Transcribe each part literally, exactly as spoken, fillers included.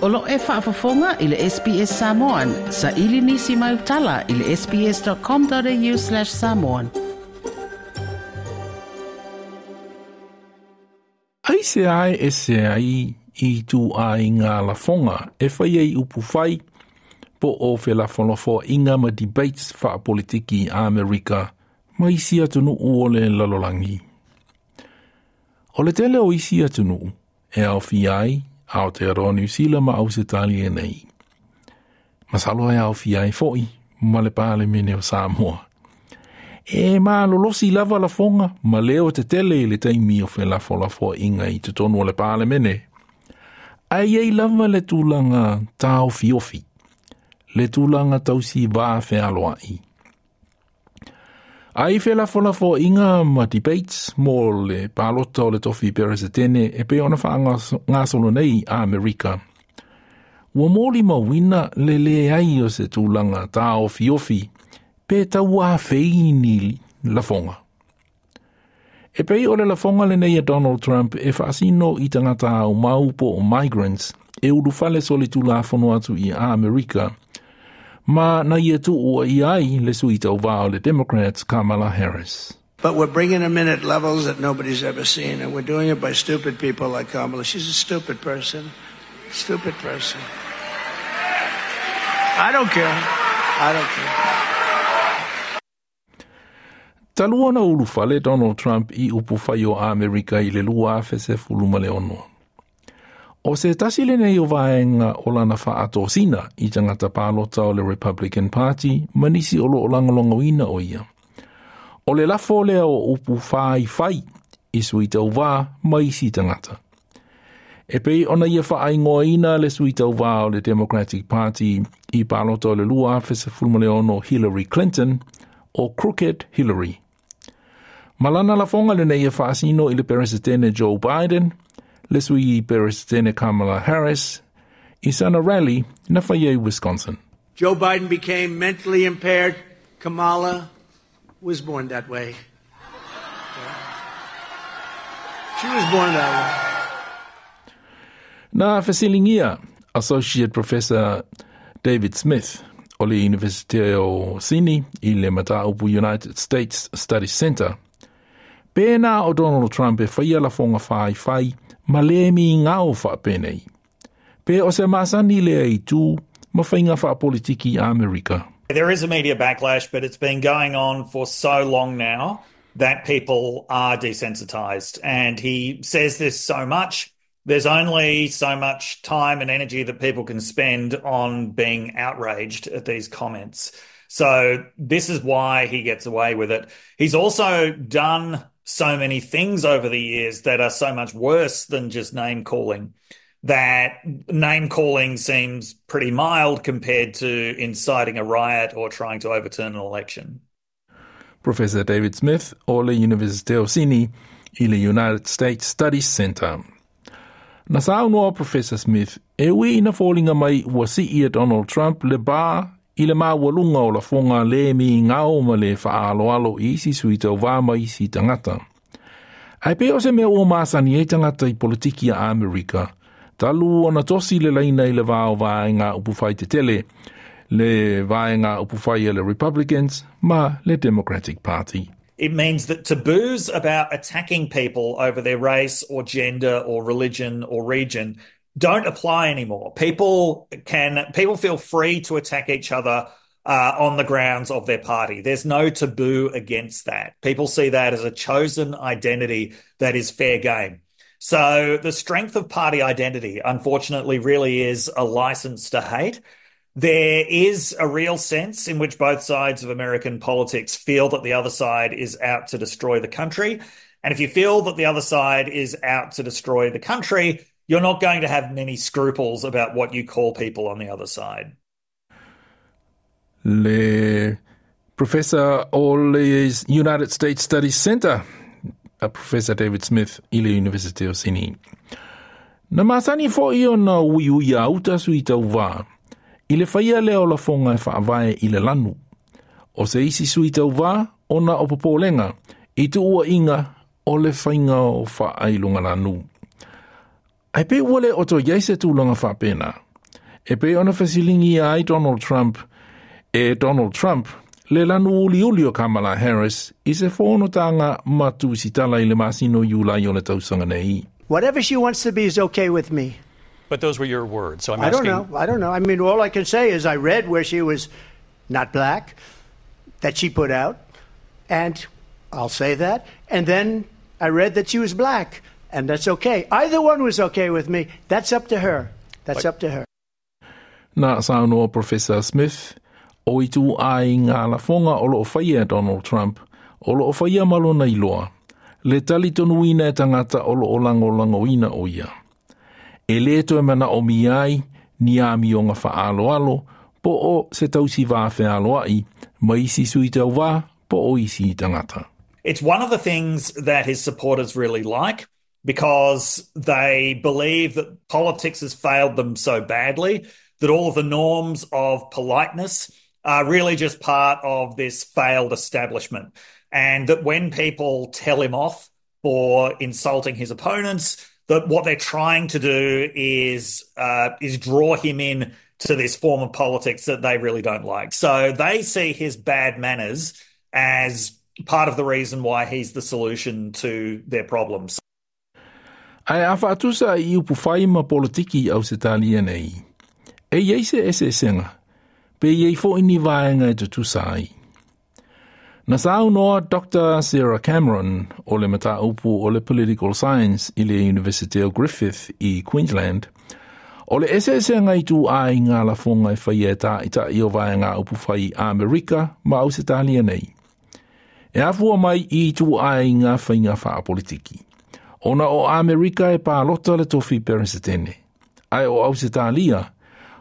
O lo e faafofoga i le S B S Samoan, sa ili nisi mai utala i le S B S dot com dot A U slash samoan. Ai se ai e se ai i tu ai ngā lafonga e whai ai upu whai po o felafolafoaiga ma debates faapolitiki a Amerika ma isi atunuu o le lalolagi. O le tele o isi atunuu e aofia ai Aotearoa Niu Sila ma Ausetalia nei. Masalo e aofia ai fo'i ma le Palemene o Samoa. E malolosi lava lafoga ma leo tetele i le taimi o felafolafoaiga i totonu o le Palemene. Ae i ai lava le tulaga taofiofi, le tulaga tausi va fealoai. Ai felafolafoaiga ma debates mo le palota o le tofi peresetene e pei ona faagasolo nei a Amerika. Ua molimauina le leai o se tulaga taofiofi pe tauafei ni lafoga. E pei o le lafoga lenei a Donald Trump e faasino i tagata aumau po o migrants e ulufale solitulafono atu i Amerika ma na ia tuuaia ai le sui tauvā o le Democrats Kamala Harris. But we're bringing them in at levels that nobody's ever seen, and we're doing it by stupid people like Kamala. She's a stupid person. Stupid person. I don't care. I don't care. Talu ona ulufale Donald Trump i upufai o Amerika i le lua afe sefulu ma le ono. O se tasi lenei o vaega o lana faatosina i tagata palota o le Republican Party ma nisi o loo lagolagoina o ia. O le lafo lea o upu faifai i sui tauvā ma isi tagata. E pei ona ia faaigoaina le sui tauvā o le Democratic Party i palota o le lua afe sefulu ma le ono Hillary Clinton o Crooked Hillary. Ma lana lafoga lenei e faasino i le Peresetene Joe Biden, le sui Peresetene Kamala Harris, i sana rally na faia i Wisconsin. Joe Biden became mentally impaired. Kamala was born that way. She was born that way. Na fesiligia Associate Professor David Smith o le University o Sydney i le Mataupu United States Studies Center. Pena o Donald Trump e whaia lafoga faifai ma le migao faapenei. Pe o se masani lea i tū ma faiga faapolitiki a Amerika. There is a media backlash, but it's been going on for so long now that people are desensitized. And he says this so much. There's only so much time and energy that people can spend on being outraged at these comments. So this is why he gets away with it. He's also done so many things over the years that are so much worse than just name calling, that name calling seems pretty mild compared to inciting a riot or trying to overturn an election. Professor David Smith o le University of Sydney i le United States Studies Center. Na saunoa Professor Smith e ui ina foliga mai ua sii e Donald Trump le ba i le maualuga o lafoga le migao ma le faaaloalo i isi sui tauvā ma isi tagata. Ae pe o se mea ua masani ai tagata i politiki a Amerika, talu ona tosi le laina i le va o vaega upufai tetele, le vaega upufai a le Republicans ma le Democratic Party. It means that taboos about attacking people over their race or gender or religion or region don't apply anymore. People can people feel free to attack each other uh, on the grounds of their party. There's no taboo against that. People see that as a chosen identity that is fair game. So the strength of party identity, unfortunately, really is a license to hate. There is a real sense in which both sides of American politics feel that the other side is out to destroy the country. And if you feel that the other side is out to destroy the country, you're not going to have many scruples about what you call people on the other side. Le Professor o le United States Studies Center, a Professor David Smith i le University of Sydney. Na masani fo'i ona uiui a uta sui tauvā, i le faia lea o lafoga e faavae i le lanu. O se isi sui tauvā, ona o popolega, i tuuaiga o le faiga o faailogalanu. Ae pe ua le o toe i ai se tulaga faapena. E pei ona fesiligia ai Donald Trump e Donald Trump le lanu uliuli o Kamala Harris i se fonotaga ma tusitala i le masina o Iulai o le tausaga nei. Whatever she wants to be is okay with me. But those were your words, so I'm I asking... don't know. I don't know. I mean, all I can say is I read where she was not black, that she put out, and I'll say that. And then I read that she was black, and that's okay. Either one was okay with me. That's up to her. That's But- up to her. Na saunoa Professor Smith o ituaiga lafoga o loo faia e Donald Trump, o loo faia ma lona iloa, le talitonuina e tagata o loo lagolagoina o ia. E le toe manaomia ai ni amioga faaaloalo po o se tausi va fealoai ma isi sui tauvā po o isi tagata. It's one of the things that his supporters really like because they believe that politics has failed them so badly that all of the norms of politeness are really just part of this failed establishment. And that when people tell him off for insulting his opponents, that what they're trying to do is uh, is draw him in to this form of politics that they really don't like. So they see his bad manners as part of the reason why he's the solution to their problems. Ae a faatusa i upu fai ma politiki i Ausetalia nei. E iai se eseesega, pe iai fo'i ni vaega e tutusa ai. Na saunoa Doctor Sarah Cameron o le mataupu o le Political Science i le University o Griffith i Queensland, o le eseesega i ituaiga lafoga e faia e taitai o vaega upu fai Amerika ma Ausetalia nei. E afua mai i ituaiga faiga faapolitiki. Ona o Amerika e palota le tofi peresetene. Ae o Ausetalia,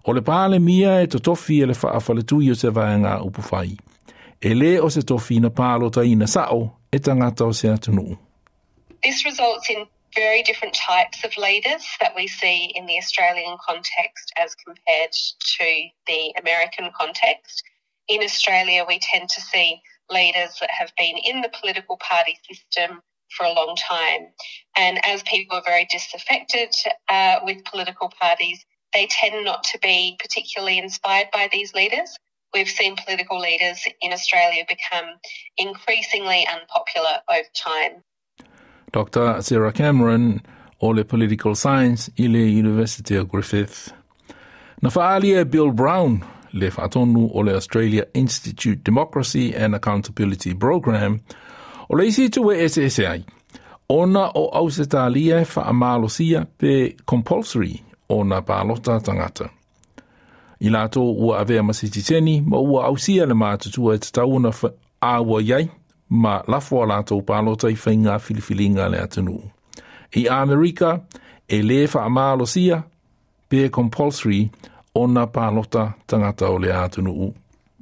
o le palemia e totofi e le faafaletui o se vaega upu fai. E le o se tofi na palotaina sao e tagata o se atunuu. This results in very different types of leaders that we see in the Australian context as compared to the American context. In Australia, we tend to see leaders that have been in the political party system for a long time. And as people are very disaffected uh, with political parties, they tend not to be particularly inspired by these leaders. We've seen political leaders in Australia become increasingly unpopular over time. Doctor Sarah Cameron o le Political Science i le University of Griffith. Na faaalia e Bill Brown, le faatonu o le Australia Institute Democracy and Accountability Program, o le isi itu e eseese ai. Ona o Ausetalia e faamalosia pe compulsory ona palota tagata. I latou ua avea ma sitiseni ma ua ausia le matutua e tatau ona auai ai ma lafo a latou palota i faiga filifiliga a le atunuu. I Amerika, e le faamalosia pe compulsory ona palota tagata o le atunuu.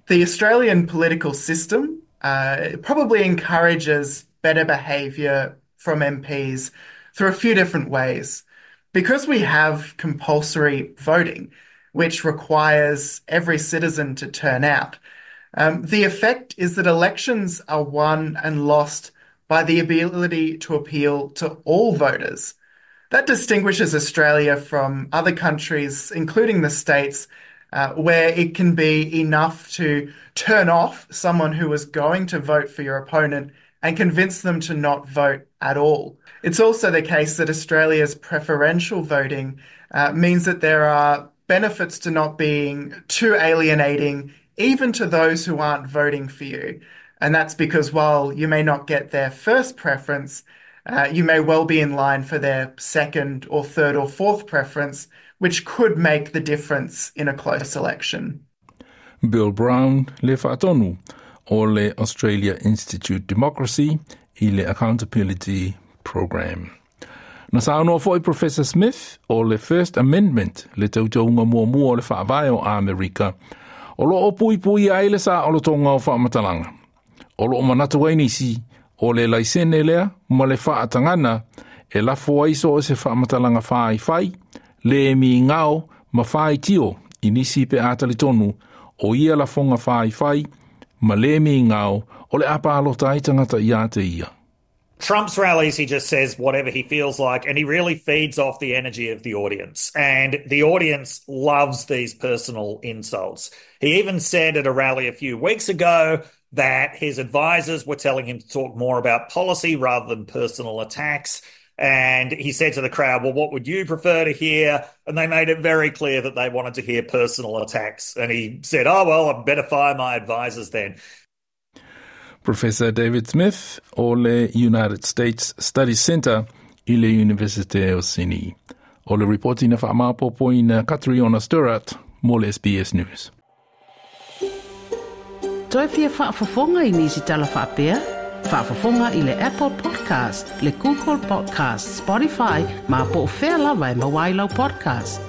The Australian political system uh, probably encourages better behaviour from M Ps through a few different ways. Because we have compulsory voting, which requires every citizen to turn out, um, the effect is that elections are won and lost by the ability to appeal to all voters. That distinguishes Australia from other countries, including the States, uh, where it can be enough to turn off someone who was going to vote for your opponent and convince them to not vote at all. It's also the case that Australia's preferential voting uh, means that there are benefits to not being too alienating, even to those who aren't voting for you. And that's because while you may not get their first preference, uh, you may well be in line for their second or third or fourth preference, which could make the difference in a close election. Bill Brown, le faatonu o le Australia Institute Democracy i le Accountability Program. Na saunoa fo'i Professor Smith o le First Amendment, le teuteuga muamua o le faavae o Amerika, o loo puipui ai le saolotoga o faamatalaga. O loo manatu ai nisi o le laisene lea ma le faatagana e lafo ai so o se faamatalaga faifai, le migao ma faitio i nisi pe a talitonu o ia lafoga faifai ma le migao o le a palota ai tagata ia te ia. Trump's rallies, he just says whatever he feels like, and he really feeds off the energy of the audience. And the audience loves these personal insults. He even said at a rally a few weeks ago that his advisors were telling him to talk more about policy rather than personal attacks. And he said to the crowd, well, what would you prefer to hear? And they made it very clear that they wanted to hear personal attacks. And he said, oh, well, I better fire my advisors then. Professor David Smith o le United States Studies Centre i le Universite o Sydney. O le ripoti na whaamapopoina Catriona Sturrat mo le S B S News. Toe fia faafofoga i nisi tala faapea? Faafofoga i le Apple Podcast, le Google Podcast, Spotify, ma po o fea lava e maua ai lau podcast.